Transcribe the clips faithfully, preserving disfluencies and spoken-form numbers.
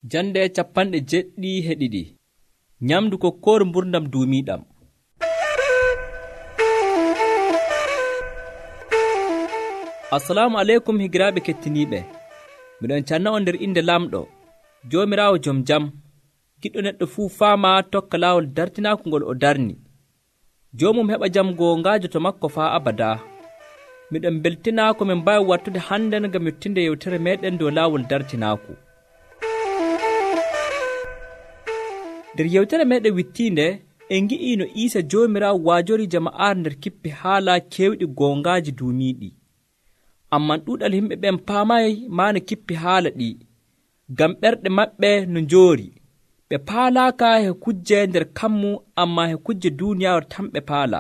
Jande capanɗe jeɗɗi e ɗiɗi. Nyamdu kokkooru mburdam duumiiɗam. Assalamu aleykum higiraaɓe kettiniiɓe. Miɗon canna on nder inde Lamɗo, Joomiraawo jom jam, giɗɗo neɗɗo fuu faama tokka laawol dartinaaku ngol o darni. Joomum heɓa jam goongaajo to makko faa abadaa. Miɗon beltinaa ko min mbaawi wattude hande ngam yottinde yewtere meeɗen dow laawol dartinaaku. nder yewtere meeɗen wittiinde en ngi'ii no Iisa Joomiraawo waajori jama'aare nder kippi haala keewɗi goongaaji duumiiɗi. Amman ɗuuɗal yimɓe ɓen paamay maa no kippi haala ɗi, ngam ɓerɗe maɓɓe no njoori. ɓe paalaaka he kujje nder kammu, ammaa he kujje duuniyaaru tan ɓe paala.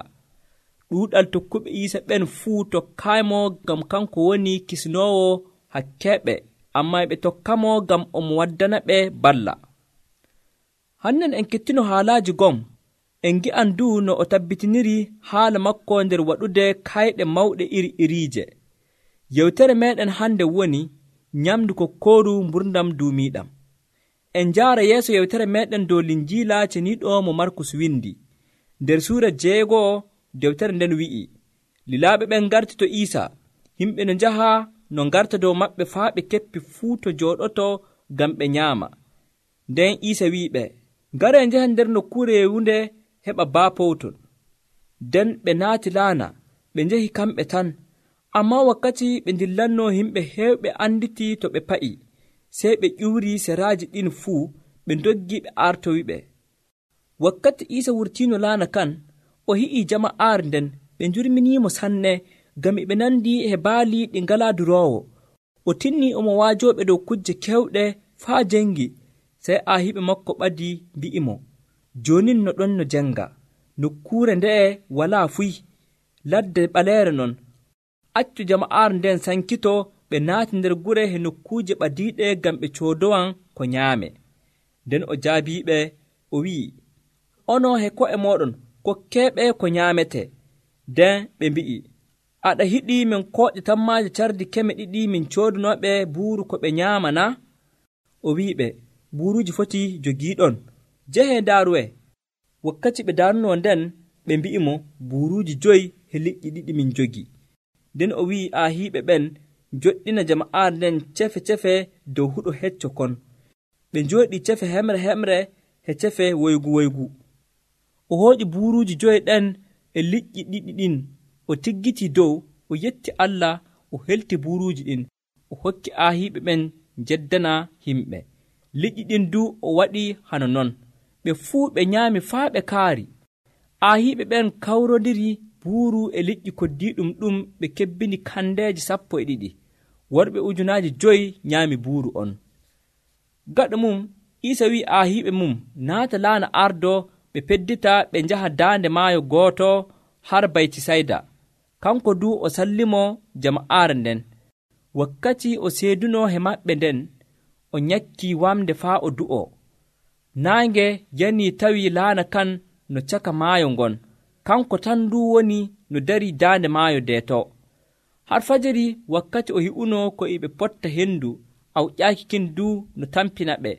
ɗuuɗal tokkuɓe Iisa ɓen fuu tokkaaymo ngam kanko woni kisnoowo hakkeeɓe, ammaa ɓe tokkamo ngam omo waddana ɓe balla. Hannen en kettino haalaaji gom, en ngi'an du no o tabbitiniri haala makko nder waɗude kayɗe mawɗe iri iriije. Yewtere meeɗen hande woni nyamdu kokkooru mburdam duumiiɗam. En njaara yeeso yewtere meeɗen dow Linjiila ceniiɗo mo Markus windi. Nder suura jeego'o dewtere nden wi'i, lilaaɓe ɓen ngarti to Iisa, yimɓe no njaha no ngarta dow maɓɓe faa ɓe keppi fuu to jooɗoto ngam ɓe nyaama. Nden Iisa wi'iɓe, ngare njahen nder nokkuure yeewunde heɓa baapowton. Nden ɓe naati laana, ɓe njahi kamɓe tan. Ammaa wakkati ɓe ndillannoo yimɓe heewɓe anditi to ɓe pa'i, sey ɓe ƴuwri seraaji ɗin fuu, ɓe ndoggi ɓe artowiɓe. Wakkati Iisa wurtiino laana kan, o hi'ii jama'aare nden, ɓe njurminiimo sanne, ngam ɓe nandi e baali ɗi ngalaa duroowo. O tinnii omo waajooɓe dow kujje kewɗe faa jengi. Sey aahiɓe makko ɓadi mbi'imo, joonin no ɗon no jenga, nokkuure nde'e walaa fuy, ladde ɓaleere non. Accu jama'aare nden sankito, ɓe naati nder gure he nokkuuje ɓadiiɗe ngam ɓe coodowan ko nyaame. Nden o jaabiiɓe, o wi'i, onon he ko'e mooɗon kokkeeɓe ko nyaamete. Nden ɓe mbi'i, aɗa hiɗii min kooƴa tammaaje cardi keme ɗiɗi min coodanooɓe buuru ko ɓe nyaama na? O wi'iɓe, buuruuji foti jogiiɗon, jehee ndaaruwe. Wakkati ɓe daarunoo nden, ɓe mbi'imo, buuruuji joyi he liƴƴi ɗiɗi min jogi. Nden o wi'i aahiiɓe ɓen njoɗɗina jama'aare nden cefe-cefe dow huɗo hecco kon. Ɓe njooɗii cefe hemre hemre he cefe woygu woygu. O hooƴi buuruuji joyi ɗen e liƴƴi ɗiɗi ɗin, o tiggitii dow, o yetti Allah, o helti buuruuji ɗin, o hokki aahiiɓe ɓen njeddana yimɓe. Liƴƴi ɗin du o waɗi hano non. Ɓe fuu ɓe nyaami faa ɓe kaari. Aahiiɓe ɓen kawrondiri buuru e liƴƴi koddiiɗum ɗum ɓe kebbini kandeeji sappo e ɗiɗi. Worɓe ujunaaji joyi nyaami buuru on. Gaɗo mum, Iisa wi'i aahiiɓe mum naata laana ardo ɓe peddita ɓe njaha daande maayo gooto har Baytisayda. Kanko du o sallimo jama'aare nden. Wakkati o seedunoo he maɓɓe nden, o nyakkii wamde faa o du'o. Naange yanii tawi laana kan no caka maayo ngon. Kanko tan du woni no darii daande maayo deeto. Har fajiri wakkati o hi'unoo ko e ɓe potta hendu, awƴaaki kin du no tampina ɓe.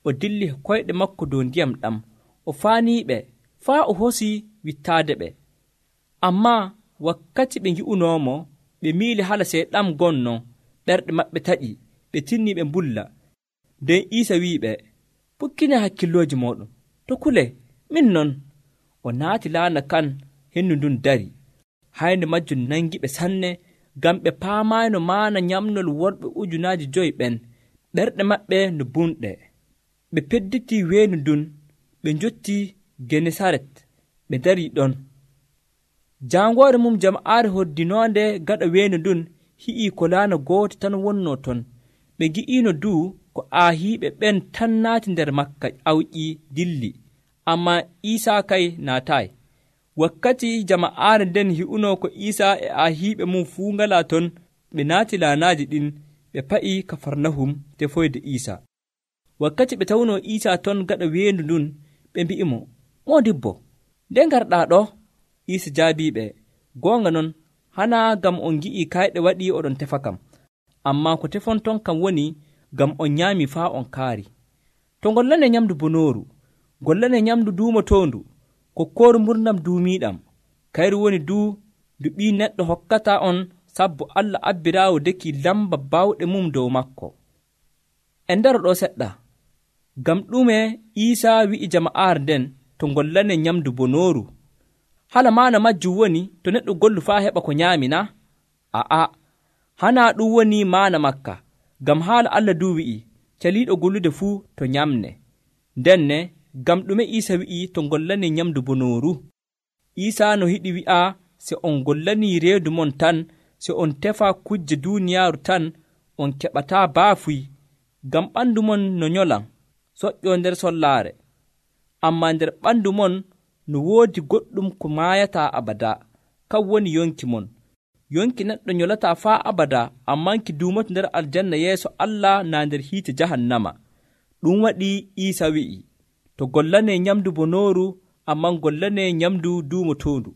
O dilli koyɗe makko dow ndiyam ɗam. O faaniiɓe faa o hosii wittaade ɓe. Ammaa wakkati ɓe ngi'unoomo, ɓe miili hala seyɗam gonno, ɓerɗe maɓɓe taƴi, ɓe tinnii ɓe mbulla. Nden Iisa wi'iɓe, pukkine hakkillooji mooɗon, to kule, min non. O naati laana kan, hendu ndun dari. Haynde majjum nangiɓe sanne, ngam ɓe paamaayno maana nyamnol worɓe ujunaaji joyi ɓen, ɓerɗe maɓɓe no bunɗe. Ɓe pedditii weendu ndun, ɓe njottii Genesaret, ɓe darii ɗon. Jaangoore mum jama'aare hoddinoonde gaɗa weendu ndun hi'ii ko laana gooto tan wonnoo ton. Ɓe ngi'iino du ko aahiiɓe ɓen tan naati nder makka awƴi dilli, ammaa Iisaa kay naataay. Wakkati jama'aare nden hi'unoo ko Iisaa e aahiiɓe mum fuu ngalaa ton, ɓe naati laanaaji ɗin, ɓe pa'i Kafarnahum tefoyde Iisaa. Wakkati ɓe tawnoo Iisaa ton gaɗa weendu ndun, ɓe mbi'imo, moodibbo, nde ngarɗaa ɗo? Iisa jaabiiɓe, goonga non, hana ngam on ngi'ii kayɗe waɗii oɗon tefa kam. Ammaa ko tefonton kam woni ngam on nyaami faa on kaari. to ngollane nyamdu bonooru, gollane nyamdu duumotoondu, kokkooru mburdam duumiiɗam, kayru woni duu ndu ɓii neɗɗo hokkata on sabbu Allah abbiraawo deki lamba bawɗe mum dow makko. En ndaro ɗo seɗɗa, ngam ɗume Iisaa wi'i jama'aare nden to ngollane nyamdu bonooru? Hala maana majjum woni to neɗɗo gollu faa heɓa ko nyaami na? A'a, hanaa ɗum woni maana makka, ngam haala Allah duu wi'i, caliiɗo gollude fuu to nyamne. Ndenne, ngam ɗume Iisa wi'i to ngollane nyamdu bonooru? Iisaa no hiɗi wi'a se on ngollanii reedu mon tan, se on tefaa kujje duuniyaaru tan, on keɓataa baafuy, ngam ɓandu mon no nyolan, soƴƴoo nder sollaare. Ammaa nder ɓandu mon no woodi goɗɗum ko maayataa abada, kan woni yonki mon. Yonki neɗɗo nyolataa faa abada, ammaa ki duumoto nder aljanna yeeso Allah naa nder hiite jahannama. Ɗum waɗi Iisa wi'i, to gollanee nyamdu bonooru, ammaa gollanee nyamdu duumotoondu.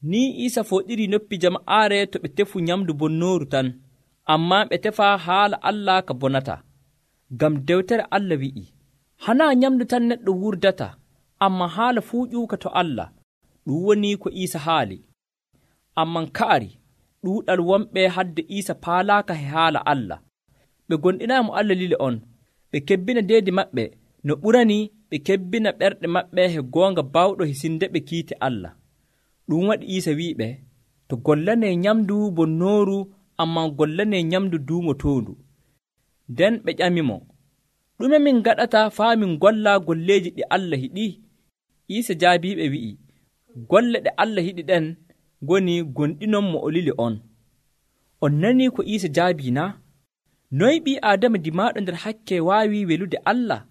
Ni Iisa fooɗiri noppi jama'aare to ɓe tefu nyamdu bonnooru tan, ammaa ɓe tefaa haala Allah ka bonata. Ngam dewtere Allah wi'i, hanaa nyamdu tan neɗɗo wurdata, ammaa haala fuu ƴuuka to Allah. Ɗum woni ko Iisa haali. Amman ka'ari ɗuuɗal wonɓe hadde Iisa paalaaka he haala Allah. Ɓe gonɗinaamo Allah lile on, ɓe kebbina deedi maɓɓe no ɓurani ɓe kebbina ɓerɗe maɓɓe he goonga bawɗo hisinde ɓe kiite Allah. Ɗum waɗi Iisa wi'iɓe, to gollanee nyamdu bonnooru, ammaa gollanee nyamdu duumotoondu. Nden ɓe ƴamimo, ɗume min gaɗata faa min golla golleeji ɗi Allah hiɗi? Iisa jaabiiɓe wi'i, golle ɗe Allah hiɗi ɗen ngoni gonɗinon mo o lili on. On nanii ko Iisa jaabii na? Noy ɓii Aadama dimaaɗo nder hakke waawi welude Allah?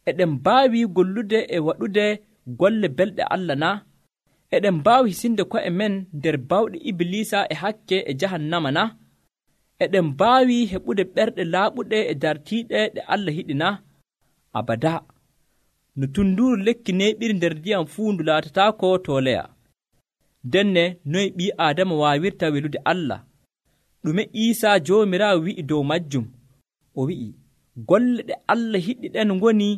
Eɗen mbaawi gollude e waɗude golle belɗe Allah na? Eɗen mbaawi hisinde ko'e men nder bawɗe Ibliisa e hakke e jahannama na? Eɗen mbaawi heɓude ɓerɗe laaɓuɗe e dartiiɗe ɗe Allah hiɗi na? Abada. No tunduuru lekki neeɓiri nder ndiyam fuu ndu laatataako to leya. Denne noy ɓii Aadama waawirta welude Allah? Ɗume Iisaa Joomiraawo wi'i dow majjum? O wi'i, golle ɗe Allah hiɗi ɗen ngoni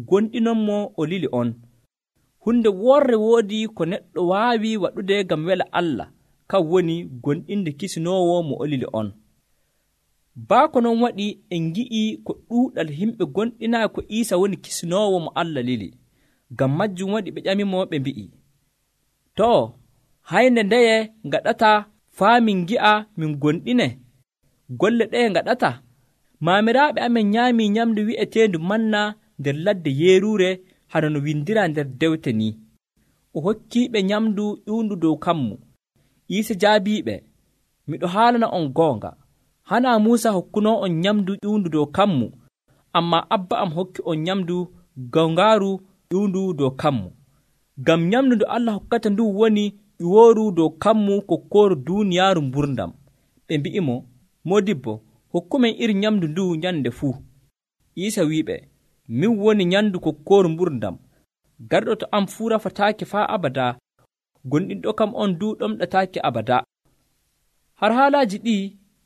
gonɗinonmo o lili on. Hunde worre woodi ko neɗɗo waawi waɗude ngam wela Allah, kan woni gonɗinde kisinoowo mo o lili on. Baa ko non waɗi en ngi'i ko ɗuuɗal himɓe gonɗinaa ko Iisa woni kisinoowo mo Allah lili. Ngam majjum waɗi ɓe ƴamimo ɓe mbi'i, too, hayne ndeye ngaɗata faa min ngi'a min gonɗine? Golle ɗeye ngaɗata? Maamiraaɓe amen nyaamii nyamdu wi'eteendu manna nder ladde yeeruure, hano no windiraa nder dewte ni. O hokkiiɓe nyamdu ƴuundu dow kammu. Iisa jaabiiɓe, miɗo haalana on goonga, hanaa Muusa hokkunoo on nyamdu ƴuundu dow kammu, ammaa Abba am hokki on nyamdu gongaaru ƴuundu dow kammu. Ngam nyamdu ndu Allah hokkata ndu woni ƴuwooru dow kammu kokkooru duuniyaaru mburdam. Ɓe mbi'imo, modibbo, hokkumen iri nyamdu ndu nyande fuu. Iisa wi'iɓe, min woni nyandu kokkooru mburdam. Garɗo to am fuu rafataake faa abada, gonɗinɗo kam on du ɗomɗataake abada. Har haalaaji ɗi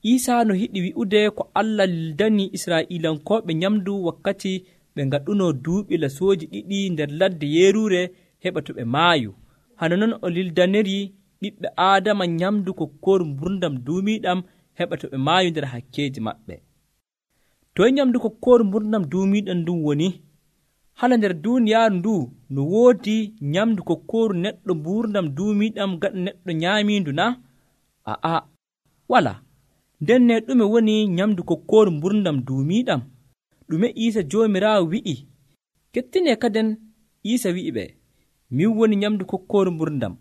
Iisaa no hiɗi wi'ude ko Allah lildani Israa'iilankooɓe nyamdu wakkati ɓe ngaɗunoo duuɓi lasooji ɗiɗi nder ladde yeeruure heɓa to ɓe maayu. Hano non o lildaniri ɓiɓɓe Aadama nyamdu kokkooru mburdam duumiiɗam heɓa to ɓe maayu nder hakkeeji maɓɓe. Toy nyamdu kokkooru mburdam duumiiɗam ndun woni? Hala nder duuniyaaru ndu no woodi nyamdu kokkooru neɗɗo mburdam duumiiɗam gaɗa neɗɗo nyaamiindu na? A'a, wala. Ndenne ɗume woni nyamdu kokkooru mburdam duumiiɗam? Ɗume Iisa Joomiraawo wi'i? Kettinee kaden Iisa wi'iɓe, min woni nyamdu kokkooru mburdam.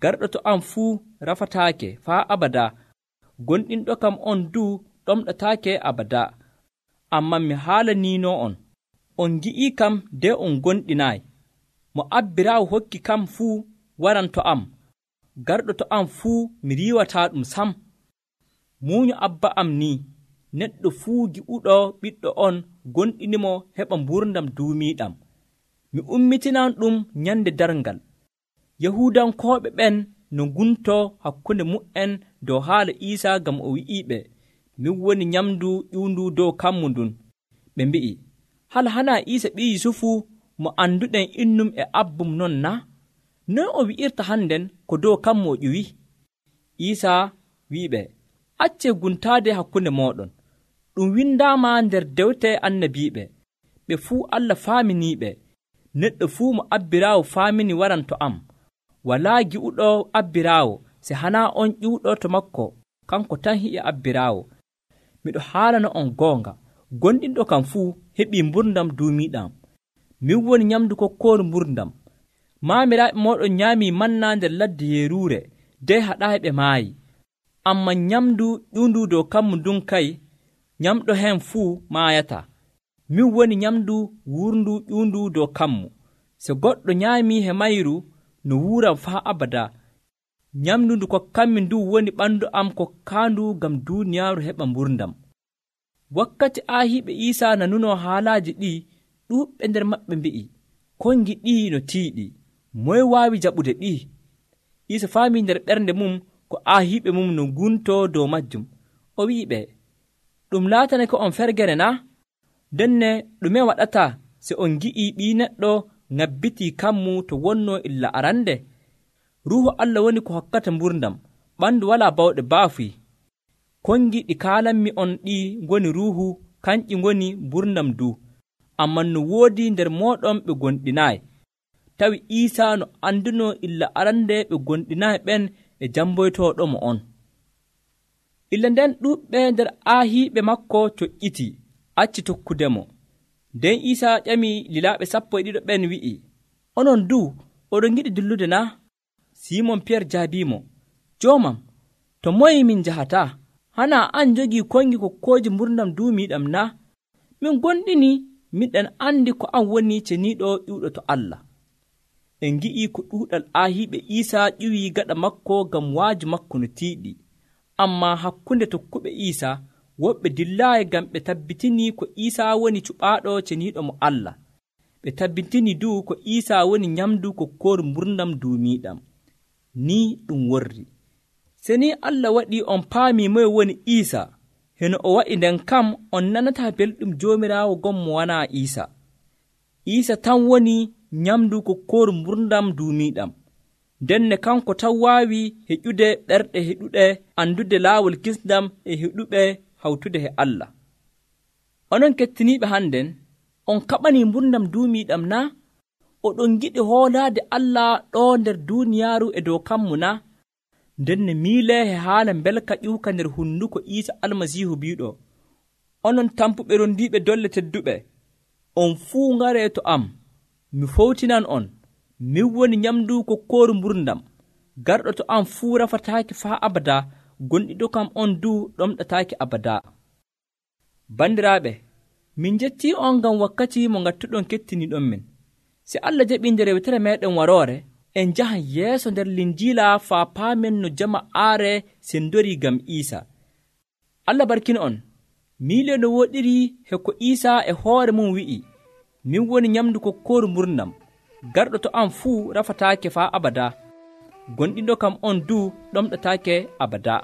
Garɗo to am fuu rafataake faa abada, gonɗinɗo kam on du ɗomɗataake abada. Amman mi haalaniinoo on, on ngi'ii kam de on gonɗinaayi. Mo abbiraawo hokki kam fuu waran to am. Garɗo to am fuu mi riiwataa ɗum sam. Muunyo Abba am ni, neɗɗo fuu gi'uɗo ɓiɗɗo on gonɗinimo heɓa mburdam duumiiɗam. Mi ummitinan ɗum nyande darngal. Yahuudankooɓe ɓen no nguntoo hakkunde mu'en dow haala Iisaa ngam o wi'iiɓe, min woni nyamdu ƴuundu dow kammu ndun. Ɓe mbi'i, hal hana Iisa ɓii Yusufu mo anduɗen innum e abbum non na? Noy o wi'irta hannden ko dow kammo o ƴiwi? Iisa wi'iɓe, accee guntaade hakkunde mooɗon. Ɗum windaama nder dewte annabiiɓe. Ɓe fuu Allah faaminiiɓe. Neɗɗo fuu mo abbiraawo faamini waran to am. Walaa gi'uɗo abbiraawo se hanaa on ƴiwɗo to makko, kanko tan hi'i abbiraawo. Miɗo haalana on goonga, gonɗinɗo kam fuu heɓii mburdam duumiiɗam. Min woni nyamdu kokkooru mburdam. Maamiraaɓe mooɗon nyaamii manna nder ladde yeeruure, dey haɗaayi ɓe maayi. Ammaa nyamdu ƴuundu dow kammu ndun kay, nyamɗo hen fuu maayata. Min woni nyamdu wuurndu ƴuundu dow kammu. So goɗɗo nyaamii he mayru, no wuuram faa abada. Nyamdu ndu kokkanmi ndu woni ɓandu am kokkaandu ngam duuniyaaru heɓa mburdam. Wakkati aahiiɓe Iisa nanunoo haalaaji ɗi, ɗuuɓɓe nder maɓɓe mbi'i, kon ngiɗii no tiiɗi, moye waawi jaɓude ɗi? Iisa faamii nder ɓernde mum ko aahiiɓe mum no nguntoo dow majjum. O wi'iɓe, ɗum laatanake on fergere na? Denne ɗume waɗata se on ngi'ii ɓii neɗɗo ŋabbitii kammu to wonnoo illa arande? Ruuhu Allah woni ko hokkata mburdam, ɓandu walaa bawɗe baafuy. Kongi ɗi kaalanmi on ɗi ngoni ruuhu, kanƴi ngoni mburdam du. Amman no woodi nder mooɗon ɓe gonɗinaayi. Tawi Iisa no andunoo illa arande ɓe gonɗinaayi ɓen e jamboytooɗomo on. Illa nden ɗuuɓɓe nder aahiiɓe makko coƴƴiti, acci tokkudemo. Nden Iisa ƴami lilaaɓe sappo e ɗiɗo ɓen wi'i, onon du oɗon giɗi dillude na? Simon Piyer jaabiimo, Joomam, to moye min njahataa? Hanaa an jogii kongi kokkooji mburdam duumiiɗam na? Min gonɗini miɗen andi ko an woni ceniiɗo ƴiwɗo to Allah. En ngi'ii ko ɗuuɗal aahiiɓe Iisa ƴiwii gaɗa makko ngam waaju makko no tiiɗi. Ammaa hakkunde tokkuɓe Iisa, woɓɓe dillaayi ngam ɓe tabbitinii ko Iisa woni cuɓaaɗo ceniiɗo mo Allah. Ɓe tabbitinii du ko Iisa woni nyamdu kokkooru mburdam duumiiɗam. Ni ɗum worri. Se ni Allah waɗii on paamii moye woni Iisa, heno o waɗi nden kam on nanataa belɗum Joomiraawo gommo wanaa Iisa. Iisa tan woni nyamdu kokkooru mburdam duumiiɗam. Denne kanko tan waawi heƴude ɓerɗe heɗuɗe andude laawol kisndam e heɗuɓe hawtude he Allah. Onon kettiniiɓe hannden, on kaɓanii mburdam duumiiɗam na? Oɗon giɗi hoolaade Allah ɗoo nder duuniyaaru e dow kammu na? Ndenne miilee he haala mbelka ƴiwka nder hunduko Iisa Almasiihu biiɗo, onon tampuɓe rondiiɓe dolle tedduɓe, on fuu ngaree to am, mi fowtinan on. Min woni nyamdu kokkooru mburdam. Garɗo to am fuu rafataaki faa abada, gonɗiɗo kam on du ɗomɗataaki abada. Bandiraaɓe, min jettii on ngam wakkati mo ngattuɗon kettiniiɗon min. Si Allah jaɓii nder yewtere meeɗen waroore, en njahan yeeso nder linjiila faa paamen no jama'aare sendorii ngam Iisa. Allah barkina on. Miile no woɗiri he ko Iisa e hoore mum wi'i, min woni nyamdu kokkooru mburdam. Garɗo to am fuu rafataake faa abada, gonɗinɗo kam on du ɗomɗataake abada.